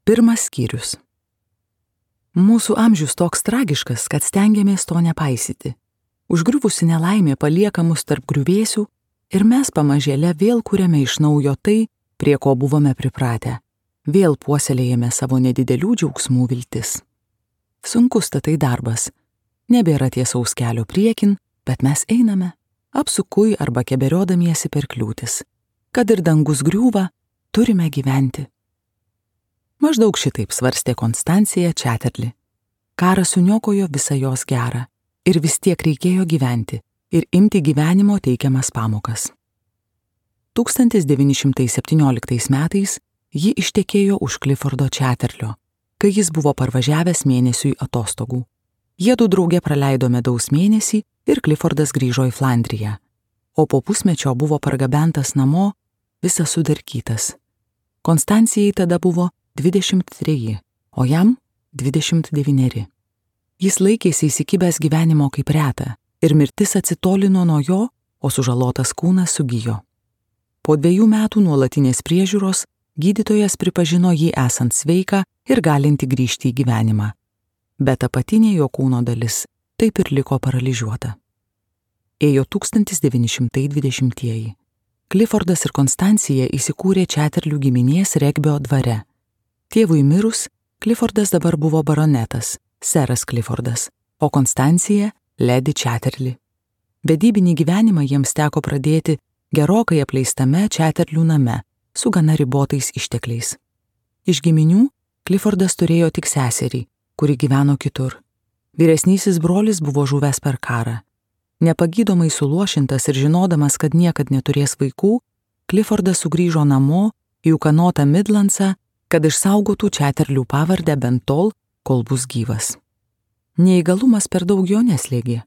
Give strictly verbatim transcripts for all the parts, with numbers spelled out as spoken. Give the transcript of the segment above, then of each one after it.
Pirmas skyrius. Mūsų amžius toks tragiškas, kad stengiamės to nepaisyti. Užgriuvusi nelaimė palieka mus tarp griuvėsių ir mes pamažėle vėl kuriame iš naujo tai, prie ko buvome pripratę. Vėl puoselėjame savo nedidelių džiaugsmų viltis. Sunkus tai darbas. Nebėra tiesaus kelio priekin, bet mes einame, apsukui arba keberiodamiesi per kliūtis. Kad ir dangus griūva, turime gyventi. Maždaug šitaip svarstė Konstancija Chatterley. Karas suniokojo visą jos gerą ir vis tiek reikėjo gyventi ir imti gyvenimo teikiamas pamokas. tūkstantis devyni šimtai septynioliktais metais ji ištekėjo už Cliffordo Chatterlio, kai jis buvo parvažiavęs mėnesiui atostogų. Jiedu drauge praleido medaus mėnesį ir Cliffordas grįžo į Flandriją, o po pusmečio buvo pargabentas namo visas sudarkytas. Konstancijai tada buvo dvidešimt treji, o jam dvidešimt devyneri. Jis laikėsi įsikibęs gyvenimo kaip reta ir mirtis atsitolino nuo jo, o sužalotas kūnas sugijo. Po dviejų metų nuolatinės priežiūros gydytojas pripažino jį esant sveiką ir galinti grįžti į gyvenimą, bet apatinė jo kūno dalis taip ir liko paralyžiuota. Ėjo tūkstantis devyni šimtai dvidešimtieji. Cliffordas ir Konstancija įsikūrė Chatterlių giminės regbio dvare. Tėvui mirus, Cliffordas dabar buvo baronetas, seras Cliffordas, o Konstancija Lady Chatterley. Vedybinį gyvenimą jiems teko pradėti gerokai apleistame Chatterlių name su gana ribotais ištekliais. Iš giminių Cliffordas turėjo tik seserį, kuri gyveno kitur. Vyresnysis brolis buvo žuvęs per karą. Nepagydomai suluošintas ir žinodamas, kad niekad neturės vaikų, Cliffordas sugrįžo namo į ūkanotą Midlandsą, kad išsaugotų Chatterlių pavardę bent tol, kol bus gyvas. Neįgalumas per daug jo neslėgė.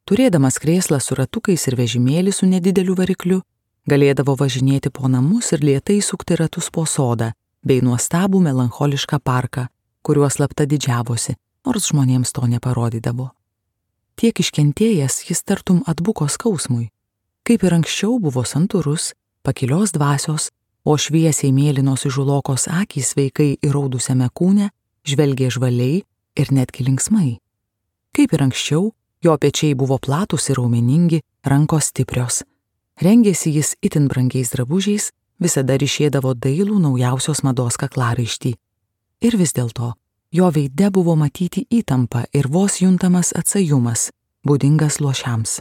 Turėdamas krėslą su ratukais ir vežimėlį su nedideliu varikliu, galėdavo važinėti po namus ir lėtai sukti ratus po sodą, bei nuostabų melancholišką parką, kuriuo slapta didžiavosi, nors žmonėms to neparodydavo. Tiek iškentėjęs jis tartum atbuko skausmui. Kaip ir anksčiau buvo santūrus, pakilios dvasios, o šviesiai mėlynos įžulokos akys sveikai įraudusiame kūne žvelgė žvaliai ir netgi linksmai. Kaip ir anksčiau, jo pečiai buvo platūs ir raumeningi, rankos stiprios. Rengėsi jis itin brangiais drabužiais, visada ryšėdavo dailų naujausios mados kaklaraištį. Ir vis dėlto, jo veide buvo matyti įtampa ir vos juntamas atsajumas, būdingas luošiams.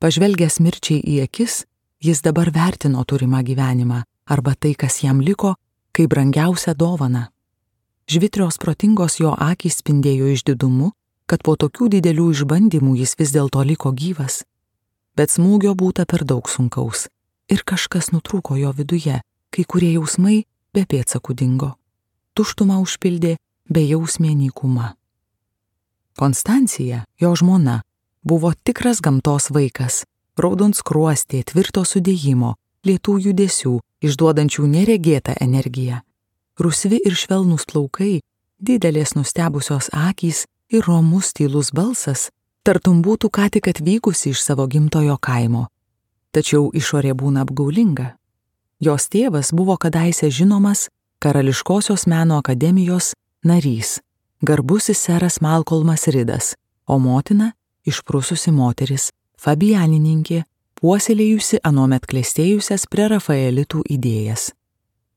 Pažvelgęs mirčiai į akis, jis dabar vertino turimą gyvenimą arba tai, kas jam liko, kaip brangiausią dovaną. Žvitrios protingos jo akys spindėjo išdidumu, kad po tokių didelių išbandymų jis vis dėlto liko gyvas. Bet smūgio būta per daug sunkaus ir kažkas nutrūko jo viduje, kai kurie jausmai be pėdsakų dingo. Tuštumą užpildė bejausmė nykuma. Konstancija, jo žmona, buvo tikras gamtos vaikas, raudonskruostė, tvirto sudėjimo, lėtų judesių, išduodančių neregėtą energiją. Rusvi ir švelnūs plaukai, didelės nustebusios akys ir romus tylus balsas, tartum būtų ką tik atvykusi iš savo gimtojo kaimo. Tačiau išorė būna apgaulinga. Jos tėvas buvo kadaise žinomas Karališkosios meno akademijos narys, garbusis seras Malcolmas Ridas, o motina išprususi moteris, fabianininkė, puoselėjusi anuomet klestėjusias prerafaelitų idėjas.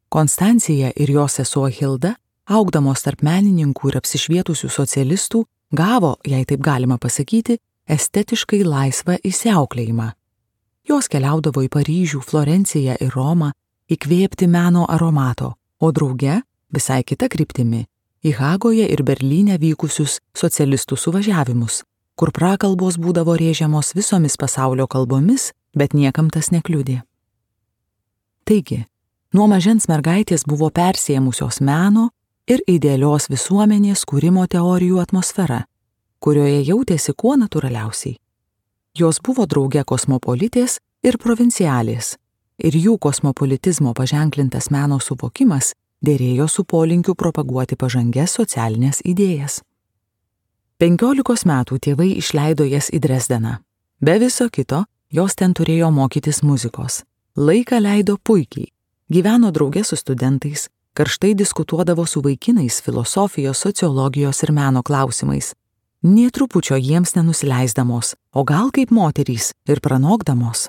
Konstancija ir jos sesuo Hilda, augdamos tarp menininkų ir apsišvietusių socialistų, gavo, jei taip galima pasakyti, estetiškai laisvą įsiauklėjimą. Jos keliaudavo į Paryžių, Florenciją ir Romą įkvėpti meno aromato, o drauge, visai kita kryptimi, į Hagoje ir Berlyne vykusius socialistų suvažiavimus, kur prakalbos būdavo rėžiamos visomis pasaulio kalbomis, bet niekam tas nekliudė. Taigi, nuo mažens mergaitės buvo persėmusios meno ir idealios visuomenės kūrimo teorijų atmosfera, kurioje jautėsi kuo natūraliausiai. Jos buvo drauge kosmopolitės ir provincialės, ir jų kosmopolitizmo paženklintas meno suvokimas dėrėjo su polinkiu propaguoti pažangias socialinės idėjas. Penkiolikos metų tėvai išleido jas į Dresdeną. Be viso kito, jos ten turėjo mokytis muzikos. Laiką leido puikiai, gyveno drauge su studentais, karštai diskutuodavo su vaikinais filosofijos, sociologijos ir meno klausimais, nė trupučio jiems nenusileisdamos, o gal kaip moterys ir pranokdamos.